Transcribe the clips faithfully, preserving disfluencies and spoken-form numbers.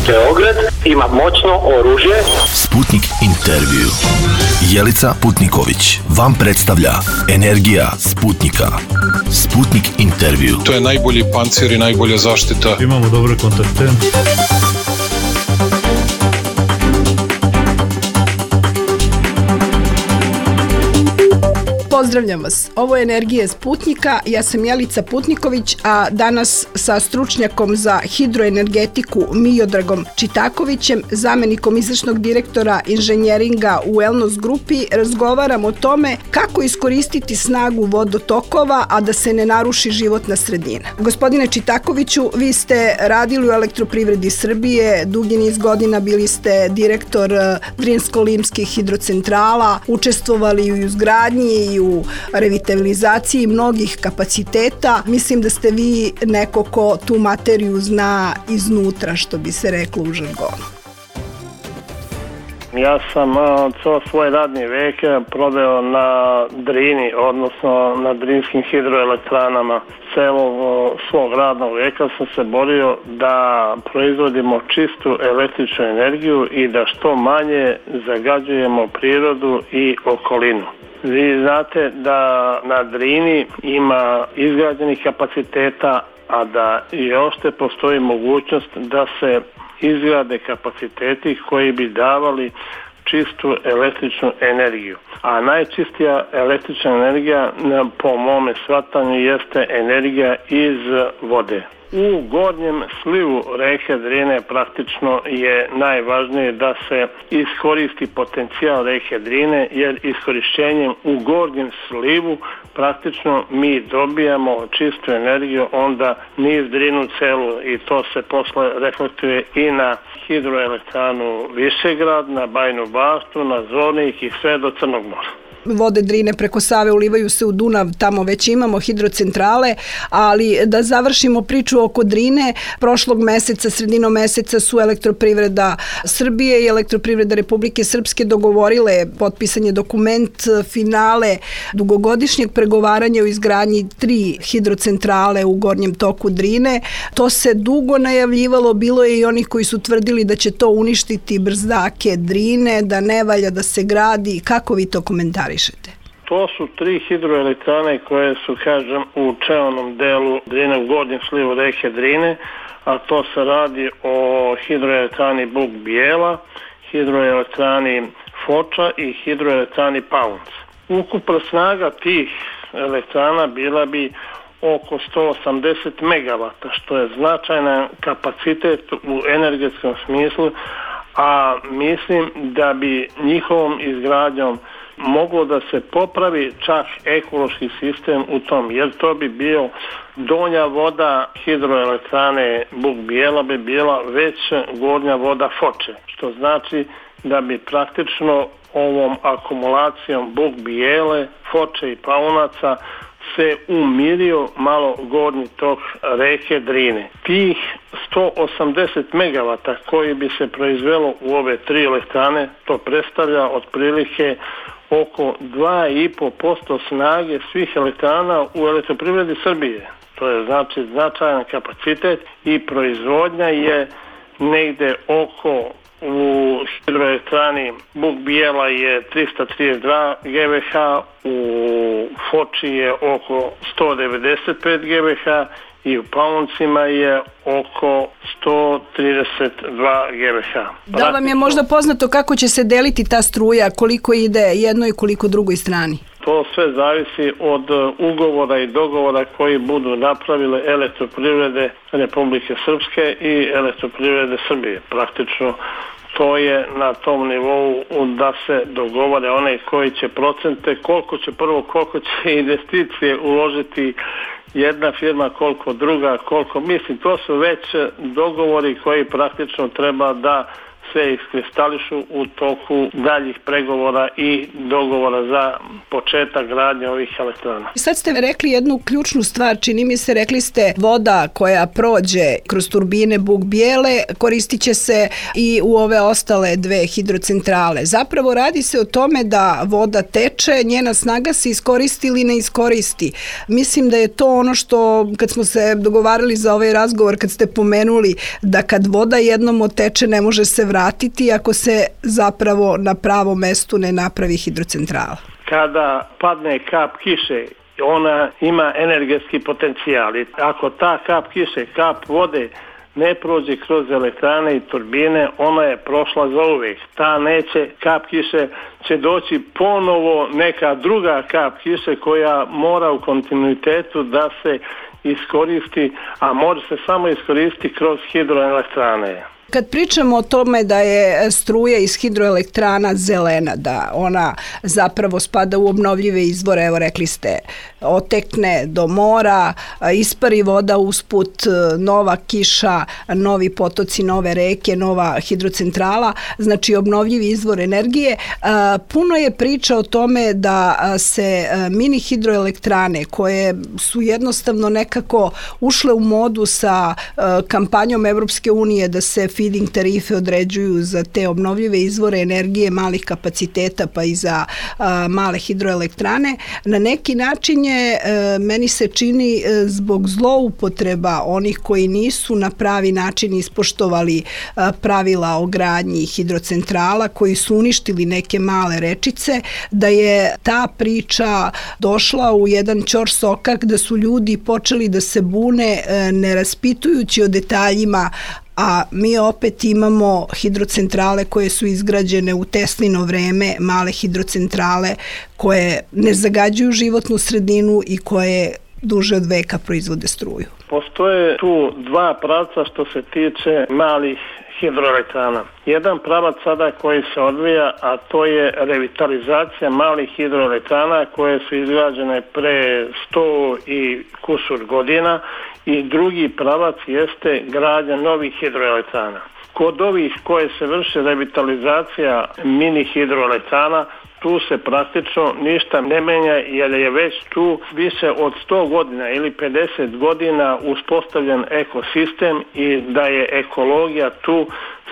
Beograd ima moćno oružje. Sputnik intervju. Jelica Putniković vam predstavlja Energija Sputnika. Sputnik intervju. To je najbolji pancir i najbolja zaštita. Imamo dobre kontakte. Pozdravljam vas. Ovo je Energija Sputnika. Ja sam Jelica Putniković, a danas sa stručnjakom za hidroenergetiku Miodragom Čitakovićem, zamenikom izvršnog direktora inženjeringa u Wellness grupi, razgovaram o tome kako iskoristiti snagu vodotokova, a da se ne naruši životna sredina. Gospodine Čitakoviću, vi ste radili u Elektroprivredi Srbije, dugi niz godina bili ste direktor Drinsko-Limskih hidrocentrala, učestvovali u izgradnji i u u revitalizaciji mnogih kapaciteta. Mislim da ste vi neko ko tu materiju zna iznutra, što bi se reklo u žargonu. Ja sam ceo svoj radni vek proveo na Drini, odnosno na Drinskim hidroelektranama. Celo svog radnog veka sam se borio da proizvodimo čistu električnu energiju i da što manje zagađujemo prirodu i okolinu. Vi znate da na Drini ima izgrađenih kapaciteta, a da još te postoji mogućnost da se izgrade kapaciteti koji bi davali čistu električnu energiju. A najčistija električna energija po mome shvatanju jeste energija iz vode. U gornjem slivu reke Drine praktično je najvažnije da se iskoristi potencijal reke Drine, jer iskorišćenjem u gornjem slivu praktično mi dobijamo čistu energiju onda niz Drinu celu, i to se posle reflektuje i na hidroelektranu Višegrad, na Bajinu Baštu, na Zvornik i sve do Crnog mora. Vode Drine preko Save ulivaju se u Dunav, tamo već imamo hidrocentrale, ali da završimo priču oko Drine, prošlog meseca, sredinom meseca su Elektroprivreda Srbije i Elektroprivreda Republike Srpske dogovorile potpisanje dokument finale dugogodišnjeg pregovaranja o izgradnji tri hidrocentrale u gornjem toku Drine. To se dugo najavljivalo, bilo je i onih koji su tvrdili da će to uništiti brzake Drine, da ne valja da se gradi. Kako vi to komentarišete? To su tri hidroelektrane koje su, kažem, u čelnom delu Drine, u gornjem slivu reke Drine, a to se radi o hidroelektrani Buk Bijela, hidroelektrani Foča i hidroelektrani Paunc. Ukupna snaga tih elektrana bila bi oko sto osamdeset megavata, što je značajan kapacitet u energetskom smislu, a mislim da bi njihovom izgradnjom moglo da se popravi čak ekološki sistem u tom, jer to bi bio donja voda hidroelektrane Buk Bijela bi bila već gornja voda Foče, što znači da bi praktično ovom akumulacijom Buk Bijele, Foče i Paunaca se umirio malo gornji tok reke Drine. Tih sto osamdeset megavata koji bi se proizvelo u ove tri elektrane, to predstavlja otprilike oko dva i po posto snage svih elektrana u Elektroprivredi Srbije. To je znači značajan kapacitet i proizvodnja je negde oko, u hidroelektrani Buk Bijela je trista trideset dva gigavat, u Foči je oko sto devedeset pet gigavat i u Pauncima je oko sto trideset dva gigavat. Da vam je možda poznato kako će se deliti ta struja, koliko ide jednoj i koliko drugoj strani? To sve zavisi od ugovora i dogovora koji budu napravile Elektroprivrede Republike Srpske i Elektroprivrede Srbije. Praktično to je na tom nivou da se dogovore one koji će procente, koliko će prvo, koliko će investicije uložiti jedna firma, koliko druga, koliko, mislim, to su već dogovori koji praktično treba da se iskristališu u toku daljih pregovora i dogovora za početak gradnje ovih elektrana. Sad ste rekli jednu ključnu stvar, čini mi se, rekli ste voda koja prođe kroz turbine Buk Bijele koristit će se i u ove ostale dve hidrocentrale. Zapravo radi se o tome da voda teče, njena snaga se iskoristi ili ne iskoristi. Mislim da je to ono što, kad smo se dogovarali za ovaj razgovor, kad ste pomenuli da kad voda jednom oteče ne može se vratiti ako se zapravo na pravom mestu ne napravi hidrocentrala. Kada padne kap kiše, ona ima energetski potencijal. Ako ta kap kiše, kap vode ne prođe kroz elektrane i turbine, ona je prošla za uvijek. Ta neće, kap kiše će doći ponovo neka druga kap kiše koja mora u kontinuitetu da se iskoristi, a može se samo iskoristiti kroz hidroelektrane. Kad pričamo o tome da je struja iz hidroelektrana zelena, da ona zapravo spada u obnovljive izvore, evo rekli ste, otekne do mora, ispari voda usput, nova kiša, novi potoci, nove reke, nova hidrocentrala, znači obnovljivi izvor energije. Puno je priča o tome da se mini hidroelektrane, koje su jednostavno nekako ušle u modu sa kampanjom Evropske unije da se feeding tarife određuju za te obnovljive izvore energije malih kapaciteta pa i za a, male hidroelektrane. Na neki način je, e, meni se čini, e, zbog zloupotreba onih koji nisu na pravi način ispoštovali a, pravila o gradnji hidrocentrala, koji su uništili neke male rečice, da je ta priča došla u jedan ćorsokak, da su ljudi počeli da se bune e, ne raspitujući o detaljima, a mi opet imamo hidrocentrale koje su izgrađene u Teslino vreme, male hidrocentrale koje ne zagađuju životnu sredinu i koje duže od veka proizvode struju. Postoje tu dva pravca što se tiče malih hidroelektrana. Jedan pravac sada koji se odvija, a to je revitalizacija malih hidroelektrana koje su izgrađene pre sto i kusur godina, i drugi pravac jeste gradnja novih hidroelektrana. Kod ovih koje se vrše revitalizacija mini hidroelektrana, tu se praktično ništa ne menja, jer je već tu više od sto godina ili pedeset godina uspostavljen ekosistem i da je ekologija tu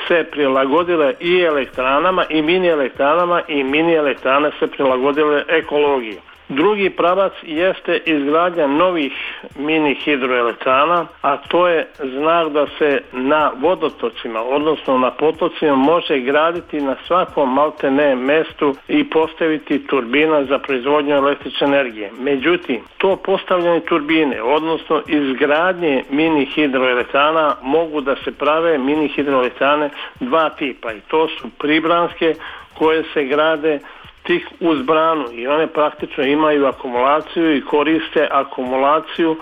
se prilagodile i elektranama i mini elektranama, i mini elektrane se prilagodile ekologiji. Drugi pravac jeste izgradnja novih mini hidroelektrana, a to je znak da se na vodotocima, odnosno na potocima, može graditi na svakom maltene mestu i postaviti turbina za proizvodnju električne energije. Međutim, to postavljanje turbine, odnosno izgradnje mini hidroelektrana, mogu da se prave mini hidroelektrane dva tipa, i to su pribranske koje se grade tih uz branu i one praktično imaju akumulaciju i koriste akumulaciju,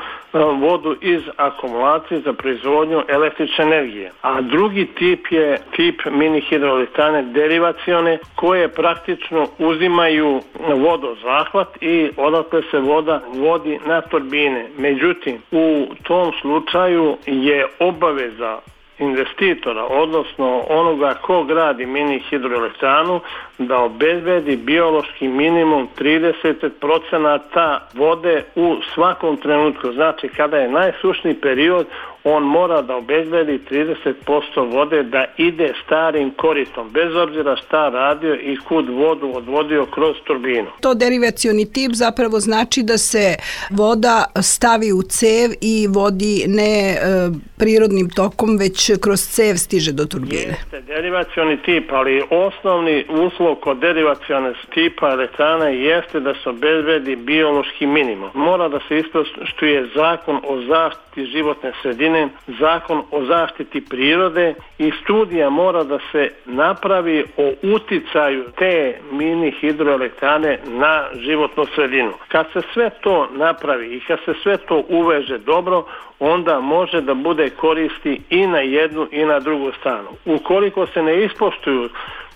vodu iz akumulacije za proizvodnju električne energije. A drugi tip je tip mini hidroelektrane derivacione, koje praktično uzimaju vodozahvat i odatle se voda vodi na turbine. Međutim, u tom slučaju je obaveza investitora, odnosno onoga ko gradi mini hidroelektranu, da obezbedi biološki minimum trideset procenata vode u svakom trenutku. Znači, kada je najsušniji period, on mora da obezbedi trideset posto vode da ide starim koritom, bez obzira šta radio i kud vodu odvodio kroz turbinu. To derivacioni tip zapravo znači da se voda stavi u cev i vodi ne e, prirodnim tokom, već kroz cev stiže do turbine. Jeste derivacioni tip, ali osnovni uslov kod derivacione tipa elektrane jeste da se obezbedi biološki minimum. Mora da se ispoštuje zakon o zaštiti životne sredine, zakon o zaštiti prirode, i studija mora da se napravi o uticaju te mini hidroelektrane na životnu sredinu. Kad se sve to napravi i kad se sve to uveže dobro, onda može da bude koristi i na jednu i na drugu stranu. Ukoliko se ne ispoštuju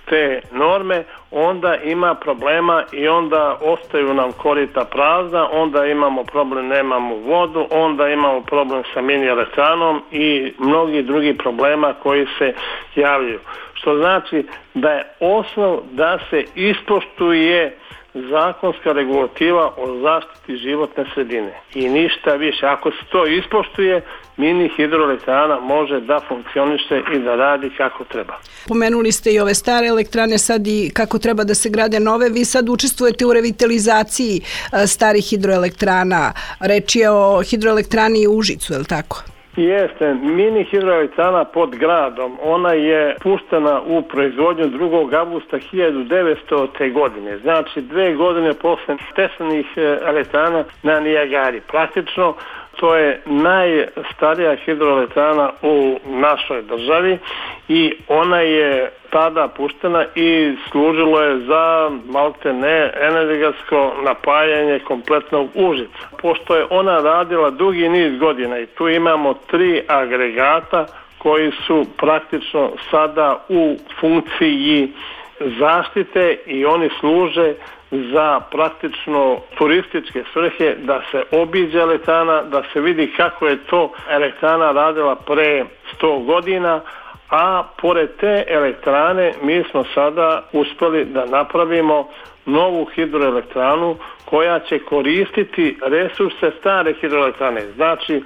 te norme, onda ima problema i onda ostaju nam korita prazna, onda imamo problem, nemamo vodu, onda imamo problem sa mini elektranom i mnogi drugi problema koji se javljaju. Što znači da je osnov da se ispoštuje zakonska regulativa o zaštiti životne sredine i ništa više. Ako se to ispoštuje, mini hidroelektrana može da funkcioniše i da radi kako treba. Pomenuli ste i ove stare elektrane, sad i kako treba da se grade nove. Vi sad učestvujete u revitalizaciji starih hidroelektrana. Reč je o hidroelektrani u Užicu, je li tako? Jeste, mini hidroelektrana pod gradom, ona je puštena u proizvodnju drugog avgusta hiljadu devetstote. godine, znači dve godine posle Teslinih elektrana na Nijagari. Praktično to je najstarija hidroelektrana u našoj državi i ona je tada puštena i služilo je za maltene energetsko napajanje kompletnog Užica. Pošto je ona radila dugi niz godina i tu imamo tri agregata koji su praktično sada u funkciji zaštite i oni služe za praktično turističke svrhe, da se obiđe elektrana, da se vidi kako je to elektrana radila pre sto godina, a pored te elektrane mi smo sada uspeli da napravimo novu hidroelektranu koja će koristiti resurse stare hidroelektrane, znači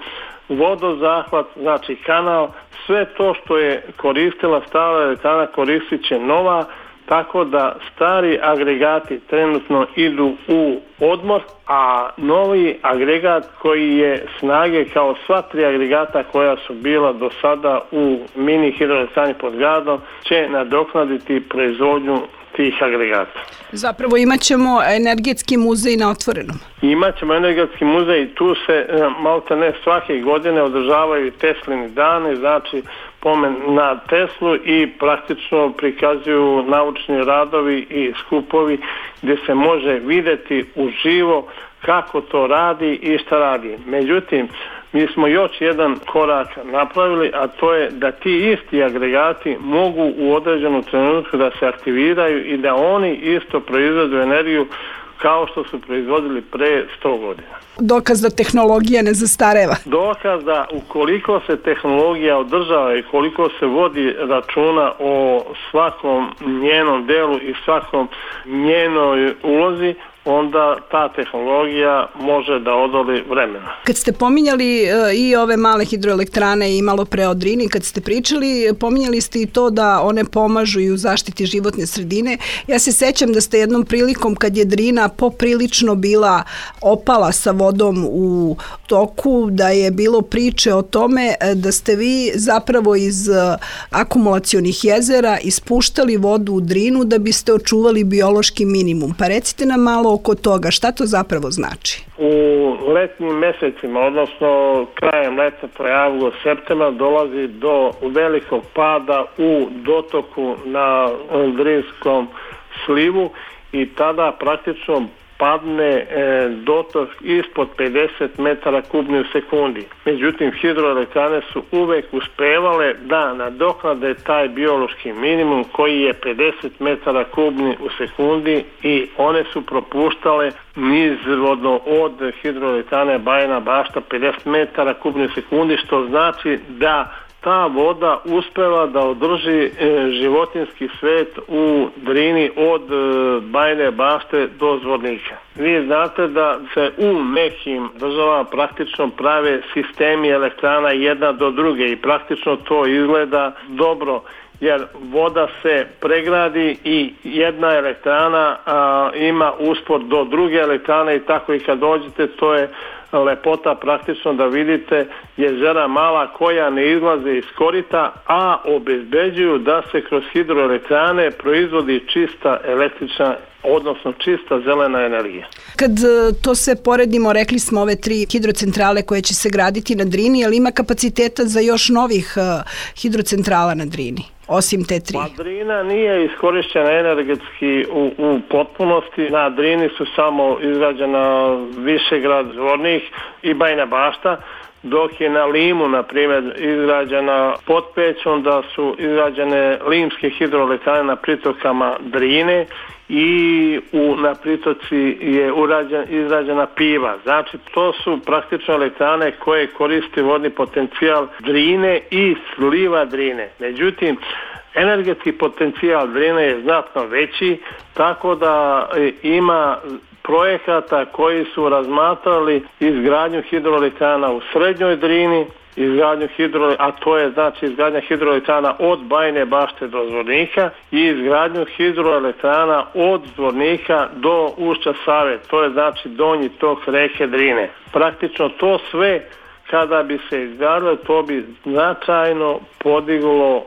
vodozahvat, znači kanal, sve to što je koristila stara elektrana koristit će nova, tako da stari agregati trenutno idu u odmor, a novi agregat koji je snage kao sva tri agregata koja su bila do sada u mini hidroelektrani pod gradom će nadoknaditi proizvodnju tih agregata. Zapravo imat ćemo energetski muzej na otvorenom. Imat ćemo energetski muzej i tu se malta ne svake godine održavaju Teslini dani, znači pomen na Teslu i praktično prikazuju naučni radovi i skupovi gdje se može vidjeti uživo kako to radi i šta radi. Međutim, mi smo još jedan korak napravili, a to je da ti isti agregati mogu u određenom trenutku da se aktiviraju i da oni isto proizvedu energiju kao što su proizvodili pre sto godina. Dokaz da tehnologija ne zastareva. Dokaz da ukoliko se tehnologija održava i koliko se vodi računa o svakom njenom delu i svakom njenoj ulozi, onda ta tehnologija može da odoli vremena. Kad ste pominjali i ove male hidroelektrane i malo pre o Drini, kad ste pričali, pominjali ste i to da one pomažu i u zaštiti životne sredine. Ja se sećam da ste jednom prilikom kad je Drina poprilično bila opala sa vodom u toku, da je bilo priče o tome da ste vi zapravo iz akumulacionih jezera ispuštali vodu u Drinu da biste očuvali biološki minimum. Pa recite nam malo oko toga, šta to zapravo znači? U letnjim mesecima, odnosno krajem leta, to je avgust, septembar, dolazi do velikog pada u dotoku na Drinskom slivu i tada praktično padne e, dotok ispod pedeset metara kubni u sekundi. Međutim, hidroelektrane su uvek uspevale da nadoknade taj biološki minimum koji je pedeset metara kubni u sekundi i one su propuštale nizvodno od hidroelektrane Bajina Bašta pedeset metara kubni u sekundi, što znači da ta voda uspeva da održi e, životinski svet u Drini od e, Bajine Bašte do Zvornika. Vi znate da se u nekim državama praktično prave sistemi elektrana jedna do druge i praktično to izgleda dobro, jer voda se pregradi i jedna elektrana a, ima uspor do druge elektrane i tako i kad dođete, to je lepota praktično da vidite jezera mala koja ne izlaze iz korita, a obezbeđuju da se kroz hidroelektrane proizvodi čista električna, odnosno čista zelena energija. Kad to sve poredimo, rekli smo ove tri hidrocentrale koje će se graditi na Drini, ali ima kapaciteta za još novih hidrocentrala na Drini? Osim te tri. Pa Drina nije iskorišćena energetski u, u potpunosti. Na Drini su samo izgrađena Višegrad, Zvornik i Bajina Bašta. dok je na Limu, na primjer, izgrađena Potpećom, da su izgrađene limske hidroelektrane na pritokama Drine i u, na pritoci je urađen, izrađena Piva. Znači, to su praktično elektrane koje koriste vodni potencijal Drine i sliva Drine. Međutim, energetski potencijal Drine je znatno veći, tako da ima projekata koji su razmatrali izgradnju hidroelektrana u Srednjoj Drini, izgradnju hidro, a to je znači izgradnja hidroelektrana od Bajine Bašte do Zvornika i izgradnju hidroelektrana od Zvornika do ušća Save, to je znači donji tok reke Drine. Praktično to sve kada bi se izgradilo, to bi značajno podiglo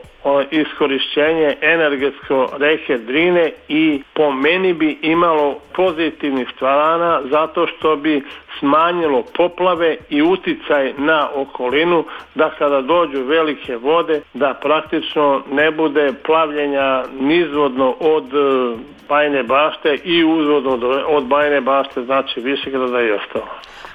iskorišćenje energetsko reke Drine i po meni bi imalo pozitivnih stvarana zato što bi smanjilo poplave i uticaj na okolinu, da kada dođu velike vode da praktično ne bude plavljenja nizvodno od Bajine Bašte i uzvodno od Bajine Bašte, znači Višegrada i ostalo.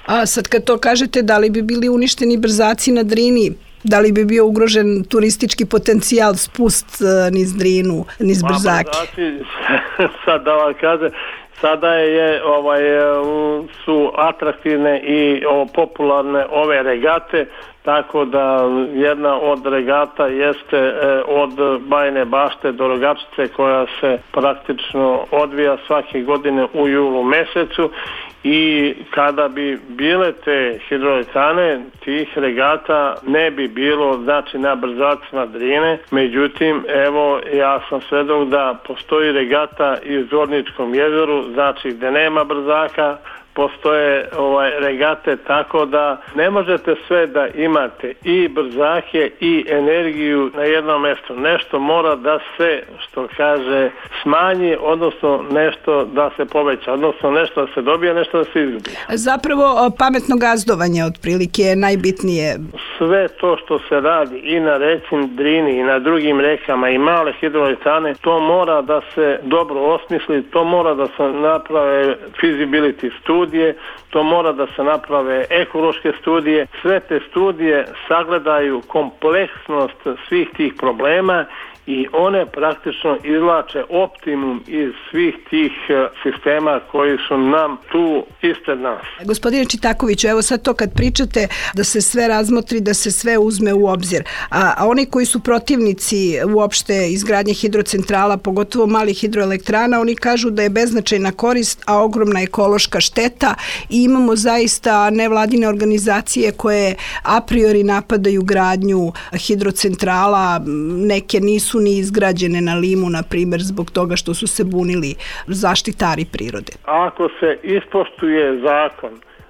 A sad kad to kažete, da li bi bili uništeni brzaci na Drini? Da li bi bio ugrožen turistički potencijal, spust niz Drinu, niz brzake? Brzaci, sad da vam kažem, sada je, ovaj, su atraktivne i o, popularne ove regate, tako da jedna od regata jeste e, od Bajine Bašte do Rogačice, koja se praktično odvija svake godine u julu mesecu, i kada bi bile te hidroelektrane, tih regata ne bi bilo znači na brzacima Drine. Međutim, evo, ja sam svedok da postoji regata i u Zvorničkom jezeru, znači gde nema brzaka, postoje ovaj, regate, tako da ne možete sve da imate i brzake i energiju na jednom mjestu. Nešto mora da se, što kaže, smanji, odnosno nešto da se poveća, odnosno nešto da se dobije, nešto da se izgubi. Zapravo pametno gazdovanje otprilike je najbitnije. Sve to što se radi i na reci Drini i na drugim rekama i male hidroelektrane, to mora da se dobro osmisli, to mora da se naprave feasibility studije, to mora da se naprave ekološke studije. Sve te studije sagledaju kompleksnost svih tih problema i one praktično izvlače optimum iz svih tih sistema koji su nam tu ispred nas. Gospodine Čitakoviću, evo sad to kad pričate da se sve razmotri, da se sve uzme u obzir, a, a oni koji su protivnici uopšte izgradnje hidrocentrala, pogotovo malih hidroelektrana, oni kažu da je beznačajna korist, a ogromna ekološka šteta, i imamo zaista nevladine organizacije koje a priori napadaju gradnju hidrocentrala, neke nisu ni izgrađene na Limu, na primjer, zbog toga što su se bunili zaštitari prirode. Ako se ispoštuje zakon,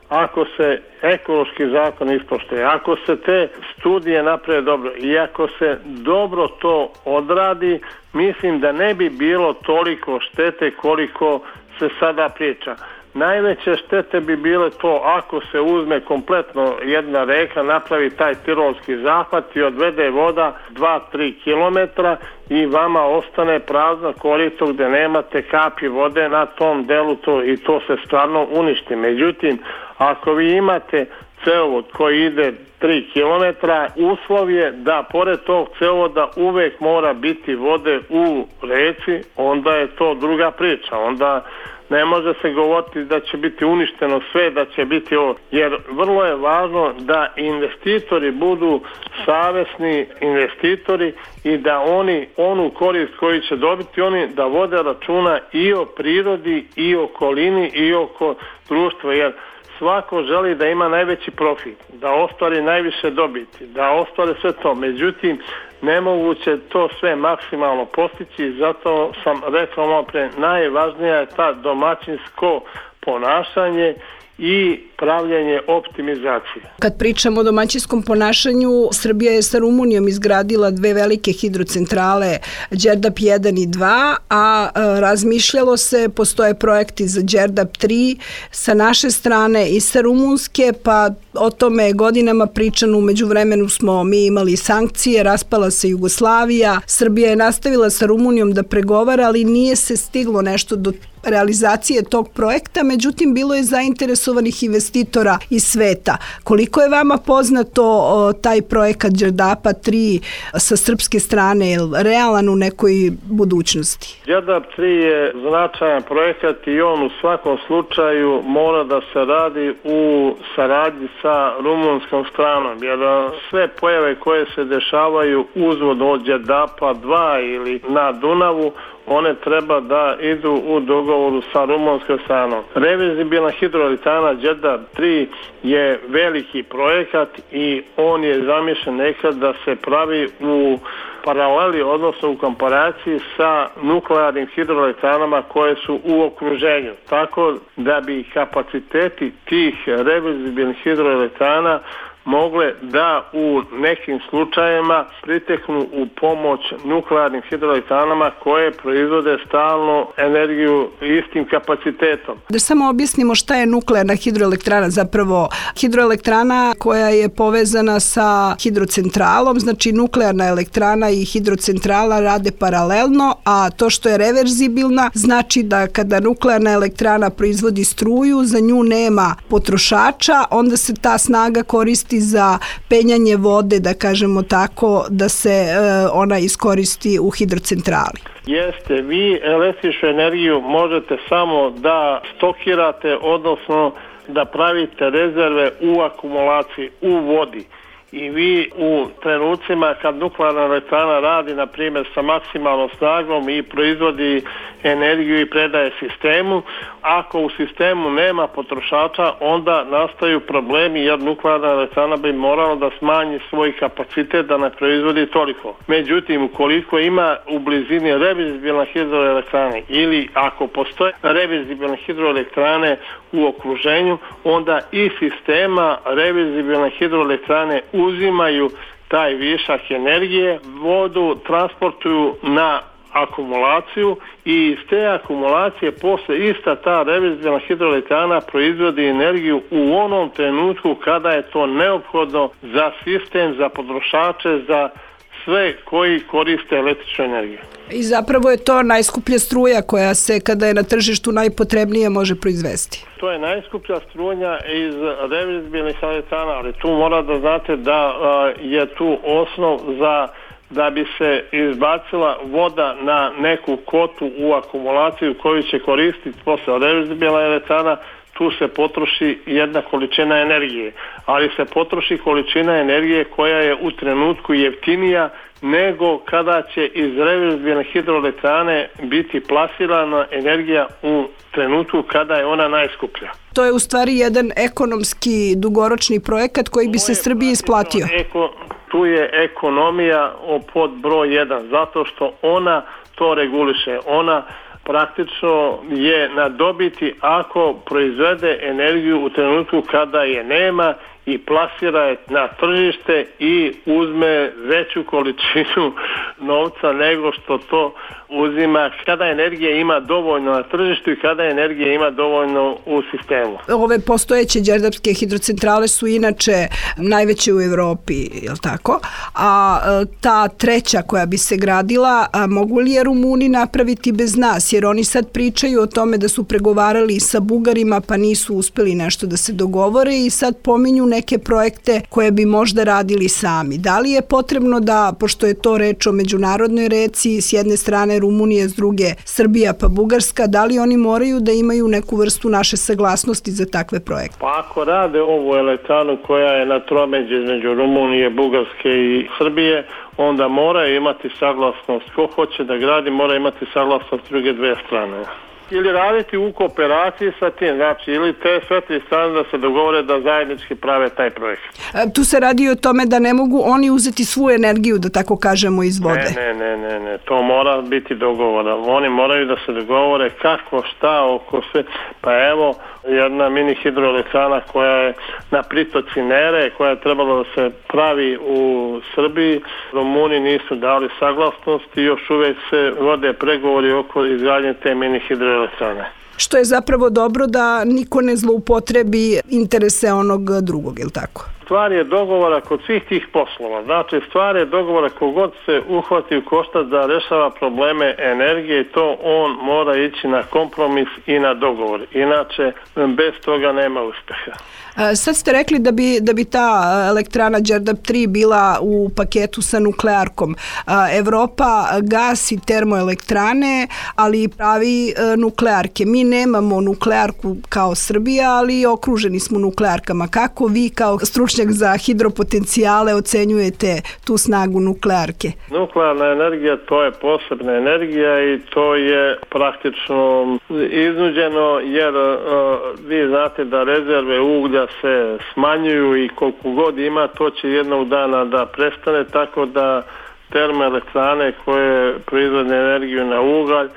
ako se ekološki zakon ispoštuje, ako se te studije naprave dobro i ako se dobro to odradi, mislim da ne bi bilo toliko štete koliko se sada priča. Najveće štete bi bile to ako se uzme kompletno jedna reka, napravi taj tirolski zahvat i odvede voda dva do tri kilometra i vama ostane prazno korito gdje nemate kapi vode na tom delu, to, i to se stvarno uništi. Međutim, ako vi imate cevovod koji ide tri kilometra, uslov je da pored tog cevovoda uvek mora biti vode u reci, onda je to druga priča. Onda ne može se govoriti da će biti uništeno sve, da će biti ovo, jer vrlo je važno da investitori budu savesni investitori i da oni onu korist koju će dobiti, oni da vode računa i o prirodi i o okolini i oko društva, jer svako želi da ima najveći profit, da ostvari najviše dobiti, da ostvari sve to. Međutim, nemoguće to sve maksimalno postići, zato sam rekao malo pre, najvažnija je ta domaćinsko ponašanje i pravljenje optimizacije. Kad pričamo o domaćinskom ponašanju, Srbija je sa Rumunijom izgradila dve velike hidrocentrale, Đerdap jedan i dva, a razmišljalo se, postoje projekti za Đerdap tri sa naše strane i sa rumunske, pa o tome je godinama pričano. U međuvremenu smo mi imali sankcije, raspala se Jugoslavija, Srbija je nastavila sa Rumunijom da pregovara, ali nije se stiglo nešto do realizacije tog projekta, međutim bilo je zainteresovanih investicija investitora iz sveta. Koliko je vama poznato o, taj projekat Đerdapa tri sa srpske strane, je realan u nekoj budućnosti? Đerdap tri je značajan projekat i on u svakom slučaju mora da se radi u saradnji sa rumunskom stranom, jer sve pojave koje se dešavaju uzvodno od Đerdapa dva ili na Dunavu, one treba da idu u dogovoru sa rumunskom stranom. Reverzibilna hidroelektrana Đerdap tri je veliki projekat i on je zamišljen nekad da se pravi u paraleli, odnosno u komparaciji sa nuklearnim hidroelektranama koje su u okruženju. Tako da bi kapaciteti tih reverzibilnih hidroelektrana mogle da u nekim slučajevima priteknu u pomoć nuklearnim hidroelektranama koje proizvode stalnu energiju istim kapacitetom. Da samo objasnimo šta je nuklearna hidroelektrana, zapravo hidroelektrana koja je povezana sa hidrocentralom, znači nuklearna elektrana i hidrocentrala rade paralelno, a to što je reverzibilna znači da kada nuklearna elektrana proizvodi struju, za nju nema potrošača, onda se ta snaga koristi za penjanje vode, da kažemo tako, da se e, ona iskoristi u hidrocentrali. Jeste, vi električnu energiju možete samo da stokirate, odnosno da pravite rezerve u akumulaciji, u vodi. I vi u trenucima kad nuklearna elektrana radi, na primjer, sa maksimalnom snagom i proizvodi energiju i predaje sistemu, ako u sistemu nema potrošača, onda nastaju problemi jer nuklearna elektrana bi morala da smanji svoj kapacitet da ne proizvodi toliko. Međutim, ukoliko ima u blizini reverzibilne hidroelektrane ili ako postoje reverzibilne hidroelektrane u okruženju, onda i sistema reverzibilne hidroelektrane uzimaju taj višak energije, vodu transportuju na akumulaciju i iz te akumulacije posle ista ta reverzibilna hidroelektrana proizvodi energiju u onom trenutku kada je to neophodno za sistem, za potrošače, za sve koji koriste električnu energiju. I zapravo je to najskuplja struja koja se, kada je na tržištu najpotrebnije, može proizvesti. To je najskuplja struja iz reverzibilnih elektrana, ali tu mora da znate da a, je tu osnov za da bi se izbacila voda na neku kotu u akumulaciju koju će koristiti posle reverzibilna elektrana. Tu se potroši jedna količina energije, ali se potroši količina energije koja je u trenutku jeftinija nego kada će iz reverzibilne hidroelektrane biti plasirana energija u trenutku kada je ona najskuplja. To je u stvari jedan ekonomski dugoročni projekat koji bi se Srbiji isplatio. Eko, tu je ekonomija pod broj jedan, zato što ona to reguliše. Ona praktično je na dobiti ako proizvede energiju u trenutku kada je nema i plasira je na tržište i uzme veću količinu novca nego što to uzima kada energije ima dovoljno na tržištu i kada energije ima dovoljno u sistemu. Ove postojeće đerdapske hidrocentrale su inače najveće u Evropi, je li tako? A ta treća koja bi se gradila, a mogu li je Rumuni napraviti bez nas? Jer oni sad pričaju o tome da su pregovarali sa Bugarima pa nisu uspeli nešto da se dogovore i sad pominju neke projekte koje bi možda radili sami. Da li je potrebno da, pošto je to reč o međunarodnoj reci, s jedne strane Rumunije, s druge Srbija pa Bugarska, da li oni moraju da imaju neku vrstu naše saglasnosti za takve projekte? Pa ako rade ovu elektranu koja je na tromeđi između Rumunije, Bugarske i Srbije, onda mora imati saglasnost. Ko hoće da gradi mora imati saglasnost druge dve strane. Ili raditi u kooperaciji sa tim, znači ili te sve tri strane da se dogovore da zajednički prave taj projekt. Tu se radi o tome da ne mogu oni uzeti svu energiju, da tako kažemo, iz vode. Ne, ne, ne, ne, to mora biti dogovora. Oni moraju da se dogovore kako, šta, oko sve. Pa evo, jedna mini hidroelektrana koja je na pritoci Nere, koja je trebala da se pravi u Srbiji, Rumuni nisu dali saglasnost i još uvek se vode pregovori oko izgradnje te mini hidroelektrane. Što je zapravo dobro da niko ne zloupotrebi interese onog drugog, je li tako? stvar je dogovora kod svih tih poslova. Znači, stvar je dogovora kogod se uhvati u koštac da rešava probleme energije, to on mora ići na kompromis i na dogovor. Inače, bez toga nema uspeha. Sad ste rekli da bi, da bi ta elektrana Đerdap tri bila u paketu sa nuklearkom. Evropa gasi termoelektrane, ali pravi nuklearke. Mi nemamo nuklearku kao Srbija, ali okruženi smo nuklearkama. Kako vi kao stručnjak za hidropotencijale ocenjujete tu snagu nuklearke? Nuklearna energija, to je posebna energija i to je praktično iznuđeno, jer uh, vi znate da rezerve uglja se smanjuju i koliko god ima, to će jednog dana da prestane, tako da termoelektrane koje proizvode energiju na ugalj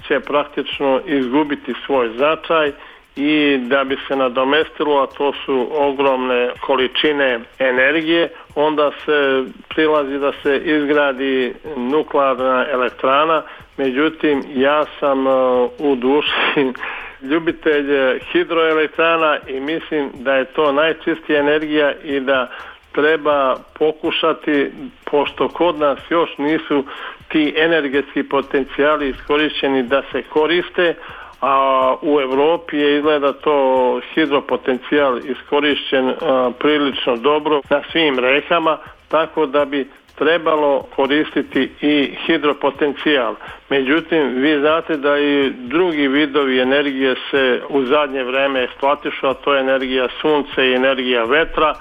će praktično izgubiti svoj značaj i da bi se nadomestilo, a to su ogromne količine energije, onda se prilazi da se izgradi nuklearna elektrana. Međutim, ja sam uh, u duši ljubitelj hidroelektrana i mislim da je to najčistija energija i da treba pokušati, pošto kod nas još nisu ti energetski potencijali iskorišćeni da se koriste, a u Evropi je izgleda to hidropotencijal iskorišćen a, prilično dobro na svim rekama, tako da bi trebalo koristiti i hidropotencijal. Međutim, vi znate da i drugi vidovi energije se u zadnje vreme eksploatišu, a to je energija sunca i energija vetra.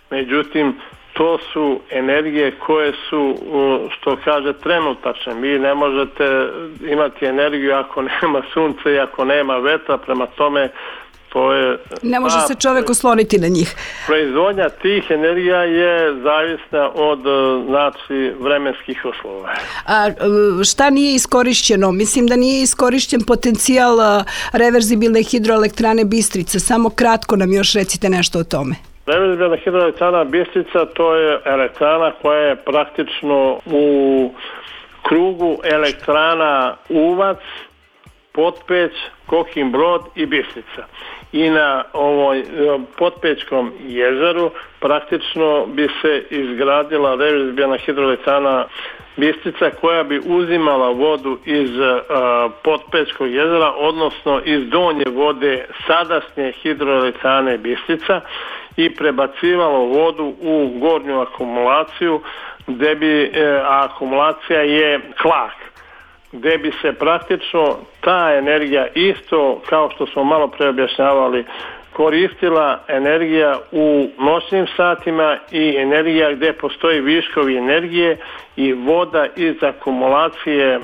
Međutim, to su energije koje su, što kaže, trenutačne. Vi ne možete imati energiju ako nema sunca i ako nema vetra, prema tome to je... Ne može se čovjek osloniti na njih. Proizvodnja tih energija je zavisna od, znači, vremenskih uslova. A šta nije iskorišćeno? Mislim da nije iskorišćen potencijal reverzibilne hidroelektrane Bistrica. Samo kratko nam još recite nešto o tome. Reverzibilna hidroelektrana Bistrica, to je elektrana koja je praktično u krugu elektrana Uvac, Potpeć, Kokin Brod i Bistrica. I na ovoj Potpećkom jezeru praktično bi se izgradila reverzibilna hidroelektrana Bistrica koja bi uzimala vodu iz uh, Potpećkog jezera, odnosno iz donje vode sadašnje hidroelektrane Bistrica i prebacivalo vodu u gornju akumulaciju, gde bi, e, a akumulacija je klak, gde bi se praktično ta energija, isto kao što smo malo pre objašnjavali, koristila energija u noćnim satima i energija gde postoji viškovi energije i voda iz akumulacije,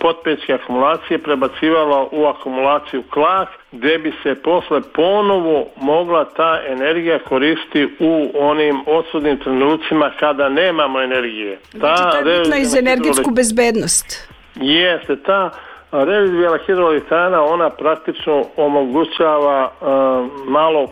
potpećke akumulacije prebacivala u akumulaciju klak, gde bi se posle ponovo mogla ta energija koristiti u onim odsudnim trenucima kada nemamo energije. Znači to je bitno i za energetsku bezbednost. Jeste, ta reverzibilna hidroelektrana, ona praktično omogućava uh, malo,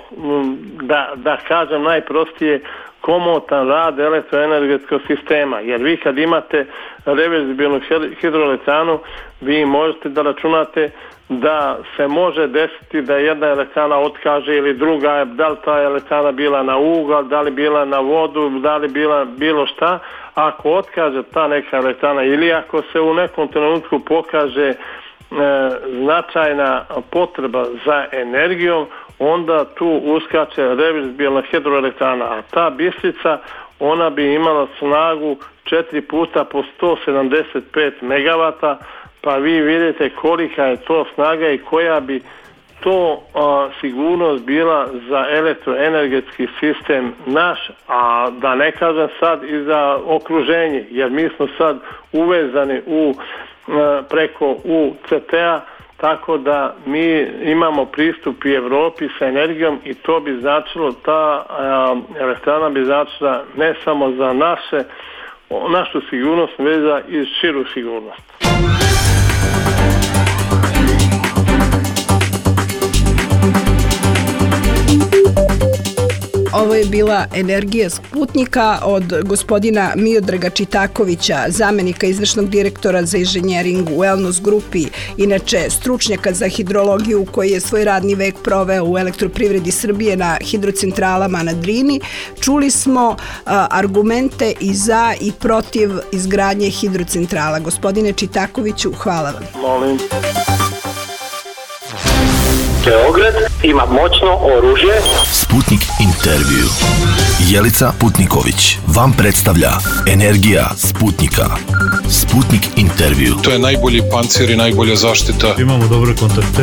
da, da kažem najprostije, komotan rad elektroenergetskog sistema, jer vi kad imate reverzibilnu hidroelektranu, vi možete da računate da se može desiti da jedna elektrana otkaže ili druga, da li ta elektrana bila na ugalj, da li bila na vodu, da li bila bilo šta. Ako otkaže ta neka elektrana ili ako se u nekom trenutku pokaže e, značajna potreba za energijom, onda tu uskače reverzibilna hidroelektrana, a ta Bistrica, ona bi imala snagu četiri puta po sto sedamdeset pet megavata, pa vi vidite kolika je to snaga i koja bi to a, sigurnost bila za elektroenergetski sistem naš, a da ne kažem sad i za okruženje, jer mi smo sad uvezani u, a, preko U C T-a, tako da mi imamo pristup i Evropi sa energijom i to bi značilo, ta a, elektrana bi značila ne samo za naše, našu sigurnost, već za i širu sigurnost. Ovo je bila Energija Sputnika od gospodina Miodraga Čitakovića, zamenika izvršnog direktora za inženjering u Elnos grupi, inače stručnjaka za hidrologiju koji je svoj radni vek proveo u Elektroprivredi Srbije na hidrocentralama na Drini. Čuli smo a, argumente i za i protiv izgradnje hidrocentrala. Gospodine Čitakoviću, hvala vam. Molim. Beograd ima moćno oružje. Sputnik intervju. Jelica Putniković vam predstavlja Energija Sputnika. Sputnik intervju. To je najbolji pancir i najbolja zaštita. Imamo dobre kontakte.